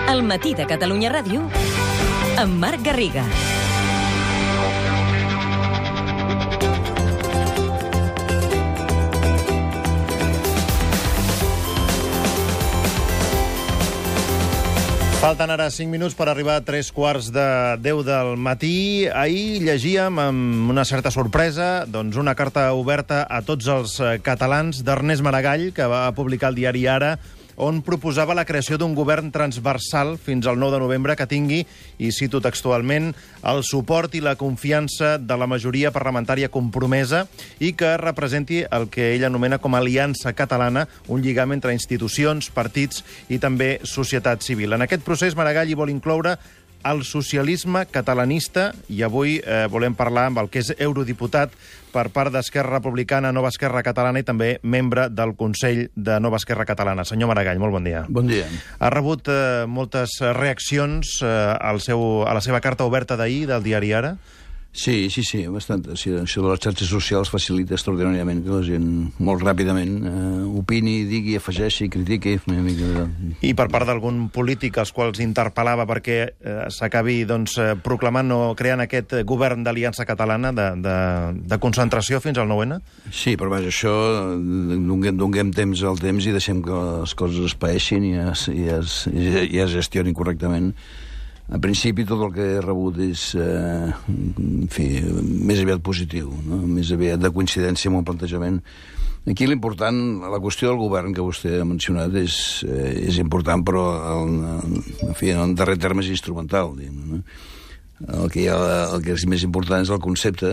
El matí de Catalunya Ràdio amb Marc Garriga. Falten ara 5 minuts per arribar a 3:15 del matí. Ahir llegíem amb una certa sorpresa una carta oberta a tots els catalans d'Ernest Maragall, que va publicar el diari Ara, on proposava la creació d'un govern transversal fins al 9 de novembre que tingui, i cito textualment, el suport i la confiança de la majoria parlamentària compromesa i que representi el que ell anomena com a aliança catalana, un lligam entre institucions, partits i també societat civil. En aquest procés, Maragall hi vol incloure el socialisme catalanista, i avui volem parlar amb el que és eurodiputat per part d'Esquerra Republicana, Nova Esquerra Catalana, i també membre del Consell de Nova Esquerra Catalana. Senyor Maragall, molt bon dia. Bon dia. Ha rebut moltes reaccions a la seva carta oberta d'ahir del diari Ara? Sí, bastant. Sí, això de les xarxes socials facilita extraordinàriament que la gent molt ràpidament opini, digui, afegeixi, critiqui. I per part d'algun polític als quals interpel·lava perquè s'acabi proclamant o creant aquest govern d'aliança catalana de concentració fins al 9-N? Sí, però vaja, això donem temps al temps i deixem que les coses es paeixin i es gestionin correctament. En principi, tot el que he rebut és, més aviat positiu, no? Més aviat de coincidència amb el plantejament. Aquí l'important, la qüestió del govern que vostè ha mencionat és important, però en darrer terme és instrumental, diguem, no? El que és més important és el concepte.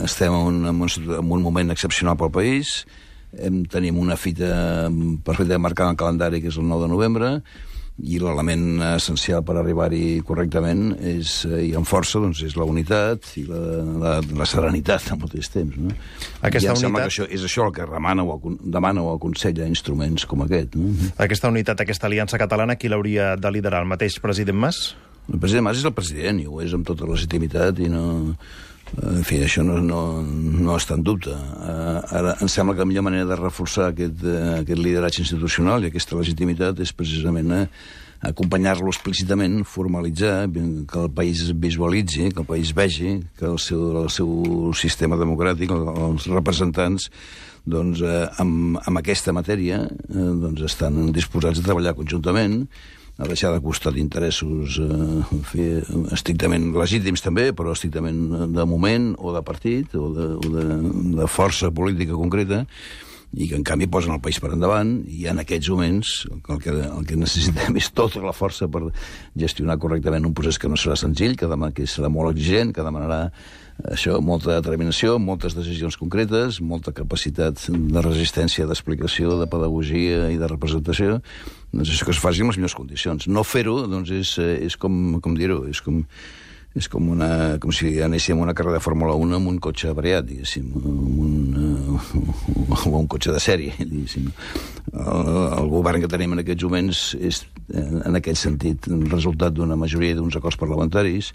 Estem en un moment excepcional pel país, tenim una fita perfectament marcada en el calendari, que és el 9 de novembre, i l'element essencial per arribar-hi correctament i amb força és la unitat i la serenitat al mateix temps, no? Aquesta unitat... sembla que és això el que demana o aconsella instruments com aquest, no? Aquesta unitat, aquesta aliança catalana, qui l'hauria de liderar? El mateix president Mas? El president Mas és el president i ho és amb tota legitimitat i no... En fi, això no està en dubte. Ara, em sembla que la millor manera de reforçar aquest lideratge institucional i aquesta legitimitat és precisament acompanyar-lo explícitament, formalitzar, que el país es visualitzi, que el país vegi que el seu sistema democràtic, els representants, amb aquesta matèria, estan disposats a treballar conjuntament, a deixar de costat interessos estrictament legítims també, però estrictament de moment o de partit o de força política concreta, i que en canvi posen el país per endavant, i en aquests moments el que necessitem és tota la força per gestionar correctament un procés que no serà senzill, que serà molt exigent, que demanarà molta determinació, moltes decisions concretes, molta capacitat de resistència, d'explicació, de pedagogia i de representació. Això que es faci en les millors condicions. No fer-ho, és com dir-ho, és com si anéssim a una carrera de Fórmula 1 amb un cotxe avariat, diguéssim, o un cotxe de sèrie, diguéssim. El govern que tenim en aquests moments és, en aquest sentit, el resultat d'una majoria d'uns acords parlamentaris,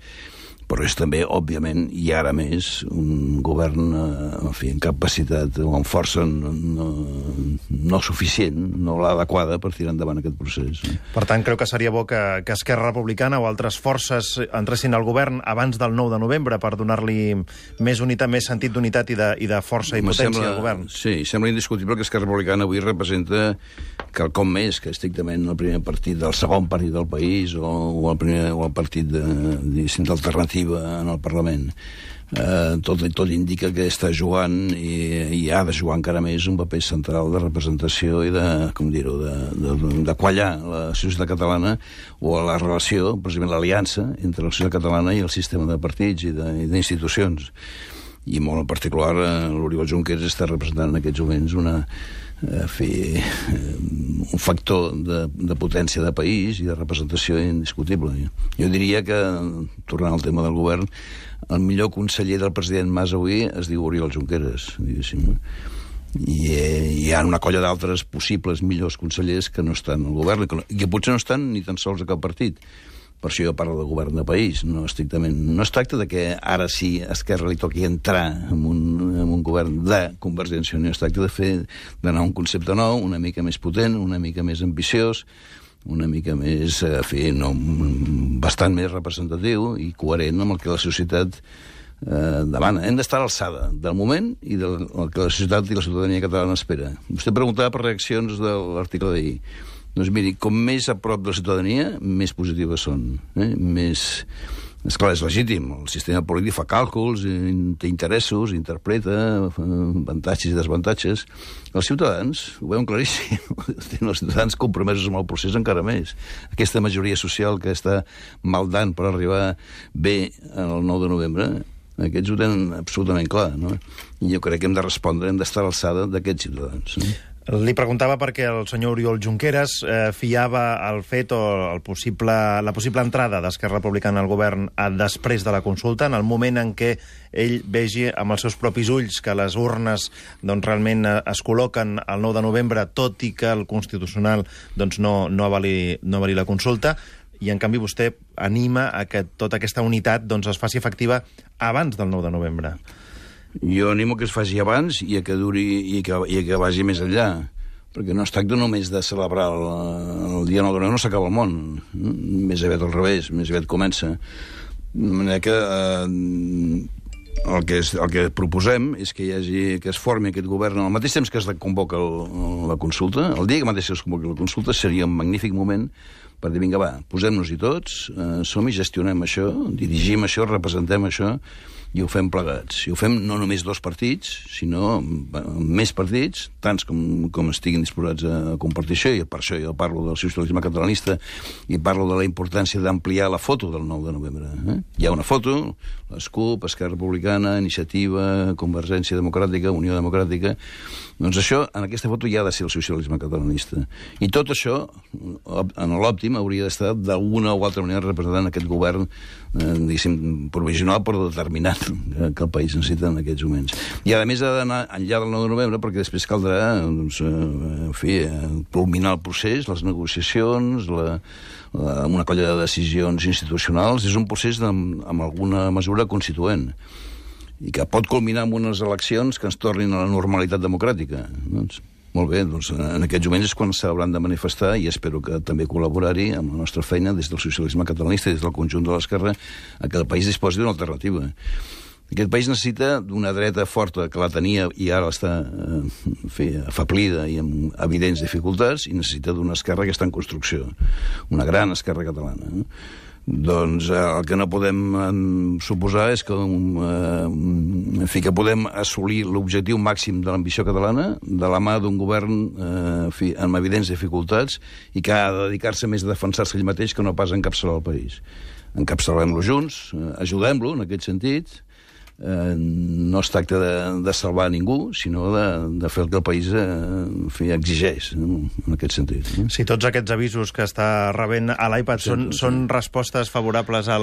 però és també, òbviament, i ara més, un govern en capacitat o amb força no suficient, no l'adequada per tirar endavant aquest procés. Per tant, creu que seria bo que Esquerra Republicana o altres forces entressin al govern abans del 9 de novembre per donar-li més unitat, més sentit d'unitat i de força i potència al govern? Sí, sembla indiscutible que Esquerra Republicana avui representa quelcom més que estrictament el primer partit del segon partit del país o el partit d'alternativa en el Parlament. Tot indica que està jugant i ha de jugar encara més un paper central de representació i de quallar la societat catalana o la relació, precisament l'aliança entre la societat catalana i el sistema de partits i d'institucions. I molt en particular l'Oriol Junqueras està representant en aquests moments un factor de potència de país i de representació indiscutible. Jo diria que, tornant al tema del govern, el millor conseller del president Mas avui es diu Oriol Junqueras, diguéssim. I hi ha una colla d'altres possibles millors consellers que no estan al govern i que potser no estan ni tan sols a cap partit. Per això jo parlo de govern de país, no estrictament. No es tracta de que ara sí a Esquerra li toqui entrar en un govern de Convergència i Unió, es tracta d'anar a un concepte nou, una mica més potent, una mica més ambiciós, una mica més, bastant més representatiu i coherent amb el que la societat demana. Hem d'estar a l'alçada del moment i del que la societat i la ciutadania catalana espera. Vostè preguntava per reaccions de l'article d'ahir. Doncs miri, com més a prop de la ciutadania, més positives són. Més... Esclar, és legítim. El sistema polític fa càlculs, té interessos, interpreta avantatges i desavantatges. Els ciutadans, ho veuen claríssim, tenen els ciutadans compromesos amb el procés encara més. Aquesta majoria social que està maldant per arribar bé el 9 de novembre, aquests ho tenen absolutament clar, no? I jo crec que hem de respondre, hem d'estar a l'alçada d'aquests ciutadans. Li preguntava perquè el senyor Oriol Junqueras fiava el fet o la possible entrada d'Esquerra Republicana al govern després de la consulta, en el moment en què ell vegi amb els seus propis ulls que les urnes realment es col·loquen el 9 de novembre, tot i que el Constitucional no avali la consulta, i en canvi vostè anima a que tota aquesta unitat es faci efectiva abans del 9 de novembre. Jo animo que es faci abans i que duri i que vagi més enllà, perquè no es tracta només de celebrar el dia 9 de novembre, no s'acaba el món, més aviat al revés, més aviat comença. De manera que el que proposem és que es formi aquest govern al mateix temps que es convoca la consulta. El dia que mateix es convoca la consulta seria un magnífic moment per dir, vinga, va, posem-nos-hi tots, som-hi, gestionem això, dirigim això, representem això, i ho fem plegats. I ho fem no només 2 partits, sinó més partits, tants com estiguin disposats a compartir això, i per això jo parlo del socialisme catalanista i parlo de la importància d'ampliar la foto del 9 de novembre. Hi ha una foto, l'SCUP, Esquerra Republicana, Iniciativa, Convergència Democràtica, Unió Democràtica. Doncs això, en aquesta foto hi ha de ser el socialisme catalanista. I tot això, en l'òptim, hauria d'estar d'alguna o altra manera representant aquest govern, diguéssim, provisional però determinat que el país necessita en aquests moments. I a més ha d'anar enllà del 9 de novembre perquè després caldrà culminar el procés, les negociacions, una colla de decisions institucionals. És un procés amb alguna mesura constituent i que pot culminar amb unes eleccions que ens tornin a la normalitat democràtica. Molt bé, en aquests moments és quan s'hauran de manifestar i espero que també col·laborar-hi amb la nostra feina des del socialisme catalanista i des del conjunt de l'esquerra a que el país disposi d'una alternativa. Aquest país necessita d'una dreta forta que la tenia i ara està afablida i amb evidents dificultats i necessita d'una esquerra que està en construcció, una gran esquerra catalana. Doncs el que no podem suposar és que podem assolir l'objectiu màxim de l'ambició catalana de la mà d'un govern amb evidents dificultats i que ha de dedicar-se més a defensar-se ell mateix que no pas a encapçalar el país. Encapçalem-lo junts, ajudem-lo en aquest sentit. No es tracta de salvar ningú, sinó de fer el que el país exigeix, en aquest sentit. Si tots aquests avisos que està rebent a l'iPad són respostes favorables a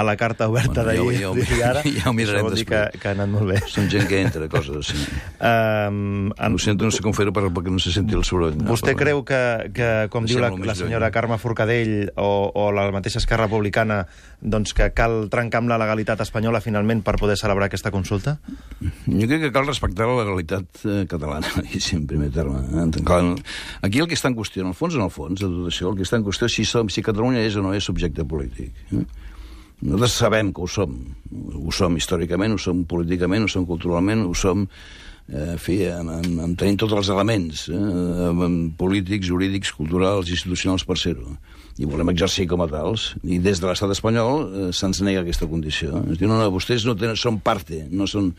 la carta oberta d'ahir i ara, ja ho mirarem vol dir que ha anat molt bé. Són gent que entra, coses així. Ho sento, no sé com fer-ho perquè no se senti el soroll. Vostè creu que com diu la senyora Carme Forcadell o la mateixa Esquerra Republicana, doncs que cal trencar amb la legalitat espanyola finalment per poder celebrar aquesta consulta? Jo crec que cal respectar la legalitat catalana, en primer terme. Aquí el que està en qüestió, en el fons, de tot això, el que està en qüestió és si Catalunya és o no és subjecte polític. Nosaltres sabem que ho som històricament, ho som políticament, ho som culturalment, ho som tenim tots els elements polítics, jurídics, culturals, institucionals per ser-ho. I volem exercir com a tals. I des de l'estat espanyol se'ns nega aquesta condició. Es diu, no, vostès són parte, no són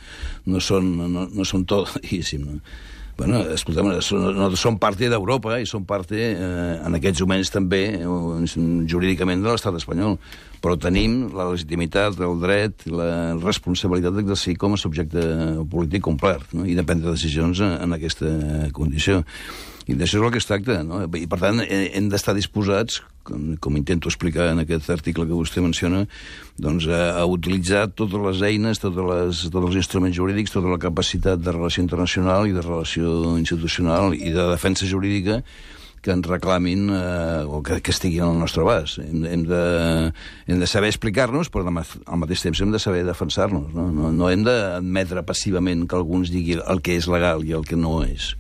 tot, diguéssim, no? Bueno, escolta'm, som part d'Europa i som part, en aquests moments també, jurídicament de l'estat espanyol, però tenim la legitimitat, el dret i la responsabilitat d'exercir com a subjecte polític complet, no? I de prendre decisions en aquesta condició. I d'això és el que es tracta, no? I per tant hem d'estar disposats, com intento explicar en aquest article que vostè menciona, doncs a utilitzar totes les eines, tots els instruments jurídics, tota la capacitat de relació internacional i de relació institucional i de defensa jurídica que ens reclamin o que estiguin al nostre abast. Hem de saber explicar-nos, però al mateix temps hem de saber defensar-nos. No hem d'admetre passivament que algú ens digui el que és legal i el que no és.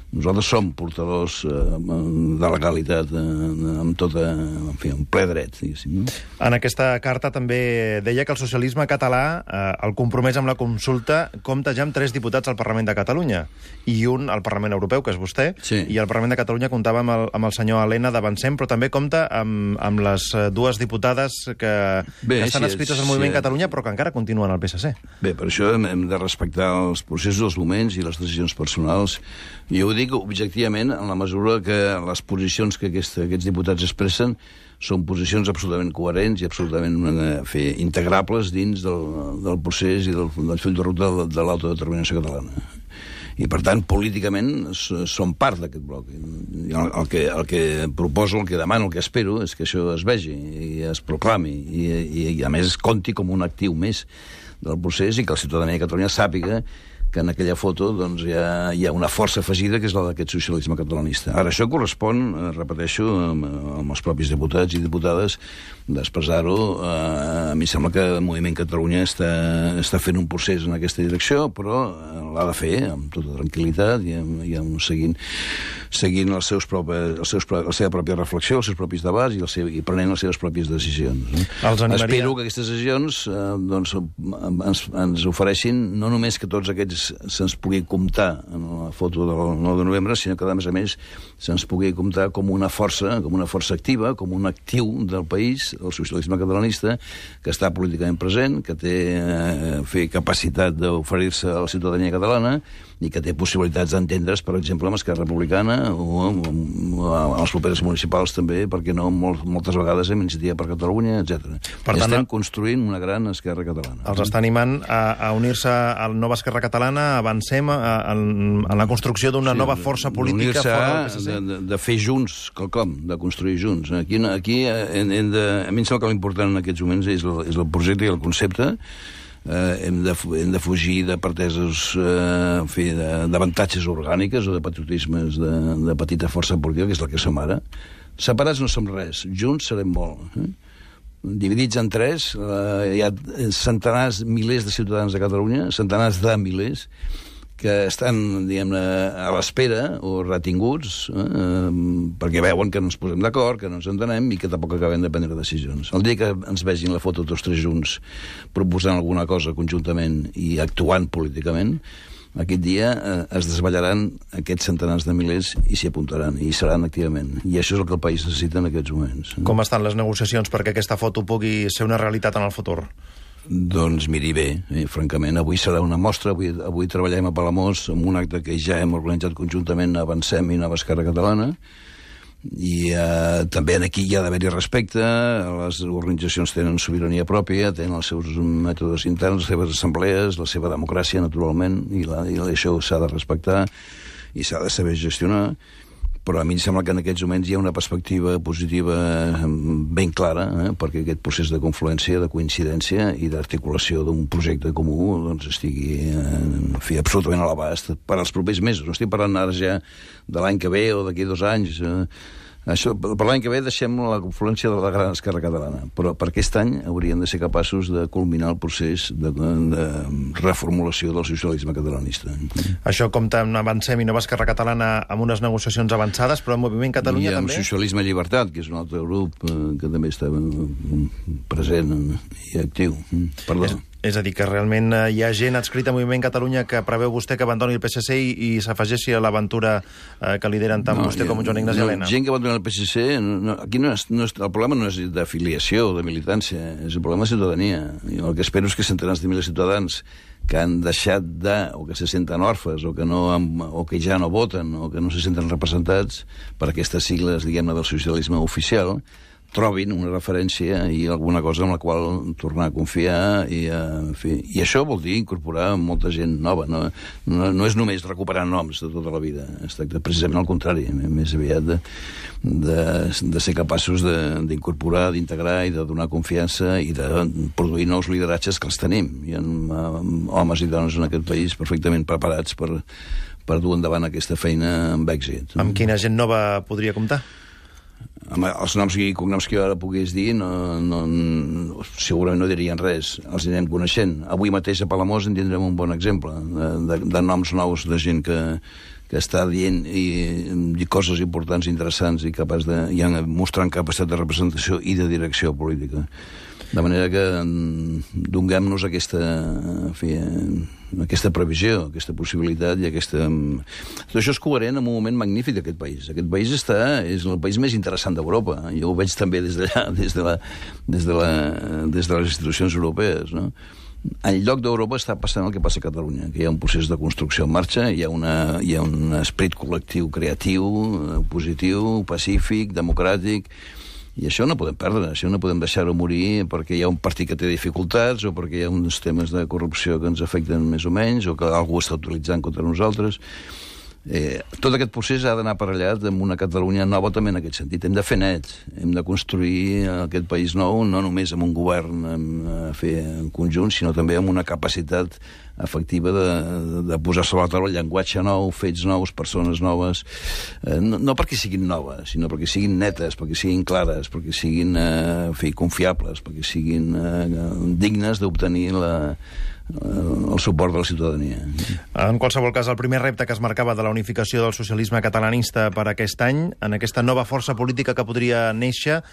Nosaltres som portadors de legalitat amb tota, en fi, un ple dret, diguéssim. En aquesta carta també deia que el socialisme català, el compromès amb la consulta, compta ja amb 3 diputats al Parlament de Catalunya, i un al Parlament Europeu, que és vostè, sí. I al Parlament de Catalunya comptava amb el senyor Elena d'Avancem, però també compta amb les 2 diputades que estan adscrites al Moviment Catalunya, però que encara continuen al PSC. Bé, per això hem de respectar els processos, els moments i les decisions personals. Jo ho dic objectivament en la mesura que les posicions que aquests diputats expressen són posicions absolutament coherents i absolutament integrables dins del procés i del full de ruta de l'autodeterminació catalana. I, per tant, políticament són part d'aquest bloc. El que proposo, el que demano, el que espero és que això es vegi i es proclami i a més, es compti com un actiu més del procés i que la ciutadania de Catalunya sàpiga que en aquella foto doncs, hi ha una força afegida que és la d'aquest socialisme catalanista. Ara, això correspon, repeteixo, amb els propis diputats i diputades d'expressar-ho. A mi sembla que el Moviment Catalunya està fent un procés en aquesta direcció, però l'ha de fer amb tota tranquil·litat i seguint la seva pròpia reflexió, els seus propis debats i prenent les seves pròpies decisions. Espero que aquestes decisions ens ofereixin no només que tots aquests se'ns pugui comptar en la foto del 9 de novembre, sinó que, a més, se'ns pugui comptar com una força activa, com un actiu del país, el socialisme catalanista, que està políticament present, que té capacitat d'oferir-se a la ciutadania catalana i que té possibilitats d'entendre's, per exemple, amb Esquerra Republicana o amb els propers municipals també, perquè no moltes vegades amb Iniciativa per Catalunya, etc. Estem construint una gran Esquerra catalana. Els està animant a unir-se a la nova Esquerra catalana, avancem en la construcció d'una nova força política fora del PSC. De fer junts quelcom, de construir junts. Aquí a mi em sembla que l'important en aquests moments és el projecte i el concepte. Hem de fugir de partesos, d'avantatges orgàniques o de patriotismes de petita força política, que és la que som ara. Separats no som res, junts serem molt. Dividits en 3, hi ha centenars, milers de ciutadans de Catalunya, centenars de milers, que estan, diguem-ne, a l'espera o retinguts perquè veuen que no ens posem d'acord, que no ens entenem i que tampoc acabem de prendre decisions. El dia que ens vegin la foto tots 3 junts proposant alguna cosa conjuntament i actuant políticament, aquest dia es desvetllaran aquests centenars de milers i s'hi apuntaran, i hi seran activament. I això és el que el país necessita en aquests moments. Com estan les negociacions perquè aquesta foto pugui ser una realitat en el futur? Doncs miri bé, francament, avui serà una mostra, avui treballem a Palamós amb un acte que ja hem organitzat conjuntament Avancem i Nova Esquerra Catalana, i també aquí hi ha d'haver-hi respecte, les organitzacions tenen sobirania pròpia, tenen els seus mètodes interns, les seves assemblees, la seva democràcia, naturalment, i això s'ha de respectar i s'ha de saber gestionar. Però a mi em sembla que en aquests moments hi ha una perspectiva positiva ben clara, perquè aquest procés de confluència, de coincidència i d'articulació d'un projecte comú estigui absolutament a l'abast per als propers mesos. No estic parlant ara ja de l'any que ve o d'aquí 2 anys. Això, per l'any que ve deixem la confluència de la gran Esquerra catalana, però per aquest any hauríem de ser capaços de culminar el procés de reformulació del socialisme catalanista. Això compta amb Avancem i Nova Esquerra Catalana amb unes negociacions avançades, però el Moviment Catalunya també? I amb Socialisme i Llibertat, que és un altre grup que també està present i actiu. Perdó. És a dir, que realment hi ha gent adscrita al Moviment Catalunya que preveu vostè que abandoni el PSC i s'afegeixi a l'aventura que lideren tant vostè com Joan Ignasi Elena. Gent que abandona el PSC, aquí el problema no és d'afiliació o de militància, és el problema de ciutadania. El que espero és que centenars de milers de ciutadans que han deixat o que se senten orfes, o que ja no voten, o que no se senten representats per aquestes sigles, diguem-ne, del socialisme oficial, trobin una referència i alguna cosa amb la qual tornar a confiar i això vol dir incorporar molta gent nova, no és només recuperar noms de tota la vida, es tracta precisament al contrari, més aviat de ser capaços d'incorporar, d'integrar i de donar confiança i de produir nous lideratges que els tenim. Hi ha homes i dones en aquest país perfectament preparats per dur endavant aquesta feina amb èxit. Amb quina gent nova podria comptar? Els noms i cognoms que jo ara pogués dir segurament no dirien res, els anem coneixent. Avui mateix a Palamós en tindrem un bon exemple de noms nous de gent que està dient i coses importants, interessants i mostrant capacitat de representació i de direcció política. De manera que donem-nos aquesta previsió, aquesta possibilitat i aquesta... Tot això és coherent amb un moment magnífic d'aquest país. Aquest país és el país més interessant d'Europa. Jo ho veig també des d'allà, des de les institucions europees, no? En lloc d'Europa està passant el que passa a Catalunya, que hi ha un procés de construcció en marxa, hi ha un esperit col·lectiu creatiu, positiu, pacífic, democràtic, i això no podem perdre, això no podem deixar-ho morir perquè hi ha un partit que té dificultats o perquè hi ha uns temes de corrupció que ens afecten més o menys o que algú està utilitzant contra nosaltres. Tot aquest procés ha d'anar aparellat amb una Catalunya nova també en aquest sentit. Hem de fer net, hem de construir aquest país nou, no només amb un govern en conjunt, sinó també amb una capacitat efectiva de posar sobre la taula llenguatge nou, fets nous, persones noves, no perquè siguin noves, sinó perquè siguin netes, perquè siguin clares, perquè siguin confiables, perquè siguin dignes d'obtenir el suport de la ciutadania. En qualsevol cas, el primer repte que es marcava de la unificació del socialisme catalanista per aquest any, en aquesta nova força política que podria néixer,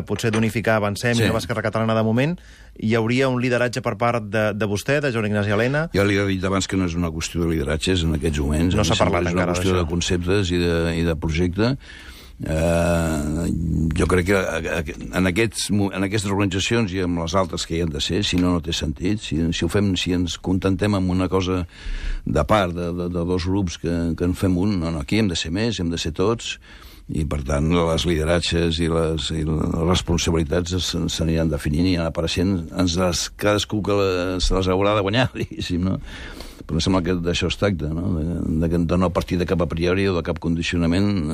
potser d'unificar Avancem i Nova Esquerra Catalana de moment, hi hauria un lideratge per part de vostè, de Joan Ignasi Elena? Jo li he dit abans que no és una qüestió de lideratges en aquests moments. No s'ha parlat encara d'això. És una qüestió de conceptes i de projecte. Jo crec que en aquestes organitzacions i amb les altres que hi han de ser, si no té sentit. Si ens contentem amb una cosa de part de dos grups que en fem un, no, aquí hem de ser més, hem de ser tots, i per tant les lideratges i les responsabilitats s'aniran definint i anar apareixent, cadascú que se les haurà de guanyar, diguéssim, no? Però em sembla que d'això es tracta, no? De no partir de cap a priori o de cap condicionament,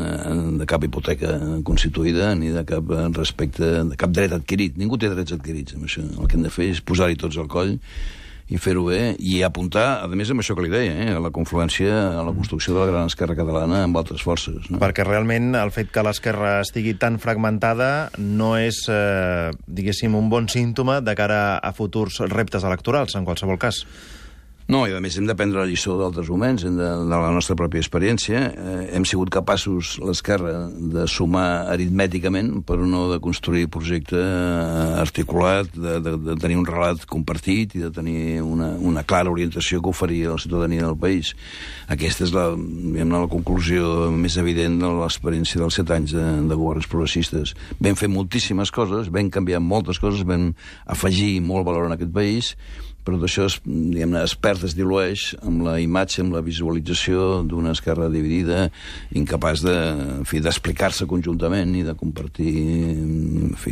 de cap hipoteca constituïda, ni de cap respecte, de cap dret adquirit. Ningú té drets adquirits amb això. El que hem de fer és posar-hi tots al coll i fer-ho bé, i apuntar, a més, amb això que li deia, a la confluència, a la construcció de la gran esquerra catalana amb altres forces. No? Perquè realment el fet que l'esquerra estigui tan fragmentada no és, diguéssim, un bon símptoma de cara a futurs reptes electorals, en qualsevol cas. No, i a més hem de prendre la lliçó d'altres moments, de la nostra pròpia experiència. Hem sigut capaços, l'esquerra, de sumar aritmèticament, però no de construir projecte articulat, de tenir un relat compartit i de tenir una clara orientació que oferia a la ciutadania del país. Aquesta és la conclusió més evident de l'experiència dels 7 anys de governs progressistes. Vam fer moltíssimes coses, vam canviar moltes coses, vam afegir molt valor en aquest país, però d'això es perd, es dilueix amb la imatge, amb la visualització d'una esquerra dividida, incapaç d'explicar-se conjuntament i de compartir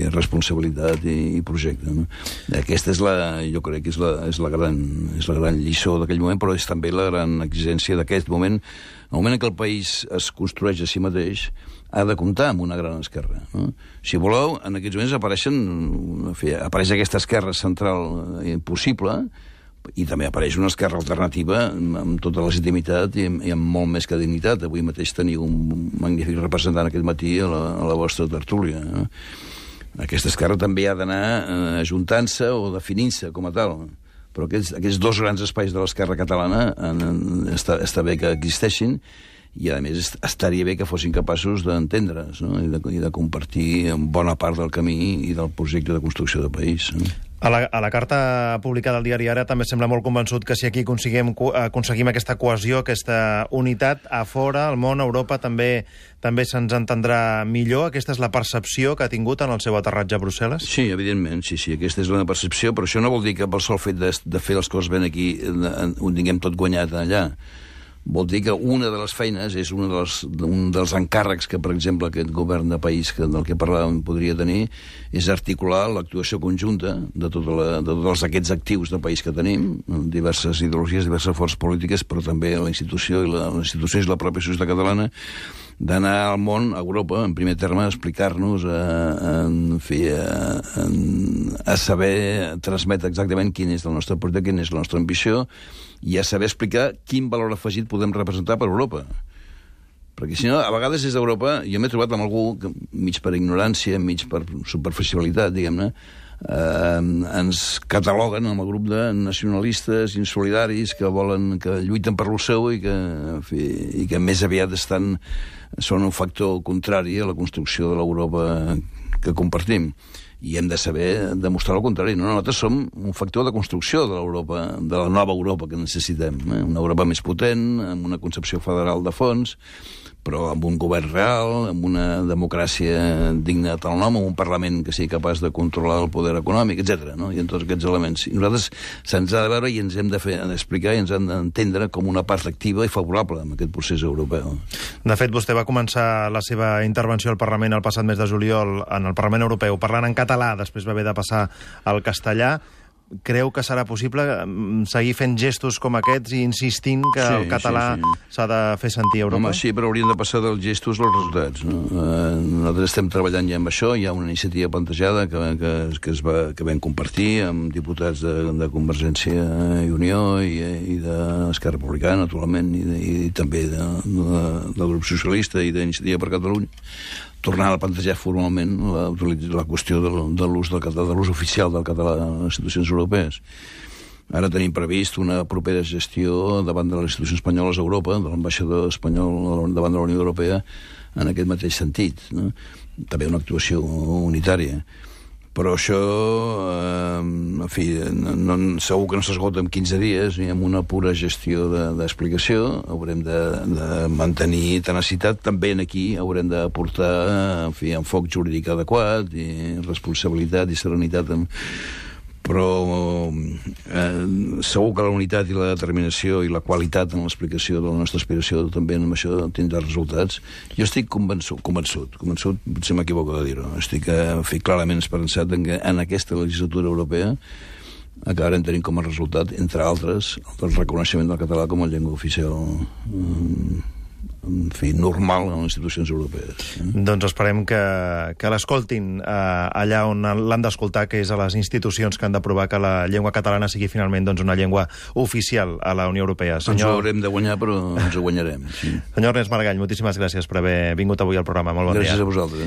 responsabilitat i projecte. No? Aquesta jo crec que és la gran lliçó d'aquell moment, però és també la gran exigència d'aquest moment. El moment en què el país es construeix a si mateix, ha de comptar amb una gran esquerra. No? Si voleu, en aquests moments apareix aquesta esquerra central possible, i també apareix una esquerra alternativa amb tota legitimitat i amb molt més que dignitat. Avui mateix teniu un magnífic representant aquest matí a la vostra tertúlia. No? Aquesta esquerra també ha d'anar ajuntant-se o definint-se com a tal. Però aquests dos grans espais de l'esquerra catalana està bé que existeixin, i a més estaria bé que fossin capaços d'entendre's, no? I de compartir bona part del camí i del projecte de construcció de país. No? A la carta publicada al diari Ara també sembla molt convençut que si aquí aconseguim aquesta cohesió, aquesta unitat, a fora, al món, a Europa, també se'ns entendrà millor. Aquesta és la percepció que ha tingut en el seu aterratge a Brussel·les? Sí, evidentment, sí, aquesta és la percepció, però això no vol dir que pel sol fet de fer les coses ben aquí ho tinguem tot guanyat allà. Vol dir que una de les feines és un dels encàrrecs que, per exemple, aquest govern de país del que parlàvem podria tenir, és articular l'actuació conjunta de tots aquests actius de país que tenim, diverses ideologies, diverses forces polítiques, però també la institució i la pròpia societat catalana, d'anar al món, a Europa, en primer terme, a explicar-nos, a saber transmetre exactament quin és el nostre projecte, quina és la nostra ambició, i a saber explicar quin valor afegit podem representar per Europa. Perquè si no, a vegades des d'Europa, jo m'he trobat amb algú que, mig per ignorància, mig per superficialitat, diguem-ne, ens cataloguen amb el grup de nacionalistes insolidaris que lluiten per lo seu i que més aviat són un factor contrari a la construcció de l'Europa que compartim. I hem de saber demostrar el contrari. No, nosaltres som un factor de construcció de l'Europa, de la nova Europa que necessitem. Una Europa més potent, amb una concepció federal de fons, però amb un govern real, amb una democràcia digna de tal nom, amb un Parlament que sigui capaç de controlar el poder econòmic, etc. No? I en tots aquests elements. I nosaltres se'ns ha de veure i ens hem d'explicar i ens han d'entendre com una part activa i favorable en aquest procés europeu. De fet, vostè va començar la seva intervenció al Parlament el passat mes de juliol en el Parlament Europeu parlant en català, després va haver de passar al castellà. Creu que serà possible seguir fent gestos com aquests i insistint que el català s'ha de fer sentir a Europa? Home, sí, però haurien de passar dels gestos als resultats. No? Nosaltres estem treballant ja amb això, hi ha una iniciativa plantejada que vam compartir amb diputats de Convergència i Unió i d'Esquerra Republicana, naturalment, i també del grup socialista i d'Iniciativa per Catalunya, tornant a plantejar formalment la qüestió de l'ús oficial del català a les institucions europees. Ara tenim previst una propera gestió davant de les institucions espanyoles a Europa, de l'ambaixador espanyol davant de la Unió Europea, en aquest mateix sentit. No? També una actuació unitària. Però això, en fi, segur que no s'esgota en 15 dies, ni amb una pura gestió d'explicació. Haurem de mantenir tenacitat. També aquí haurem d'aportar, en fi, enfoc jurídic adequat, i responsabilitat i serenitat. Però segur que la unitat i la determinació i la qualitat en l'explicació de la nostra aspiració també amb això tindrà resultats. Jo estic convençut, potser m'equivoco de dir-ho, estic clarament esperançat que en aquesta legislatura europea acabarem tenint com a resultat, entre altres, el reconeixement del català com a llengua oficial en fi, normal en les institucions europees. Doncs esperem que l'escoltin allà on l'han d'escoltar, que és a les institucions que han d'aprovar que la llengua catalana sigui finalment una llengua oficial a la Unió Europea. Ens ho haurem de guanyar, però ens ho guanyarem. Sí. Senyor Ernest Maragall, moltíssimes gràcies per haver vingut avui al programa. Molt bon dia. Gràcies a vosaltres.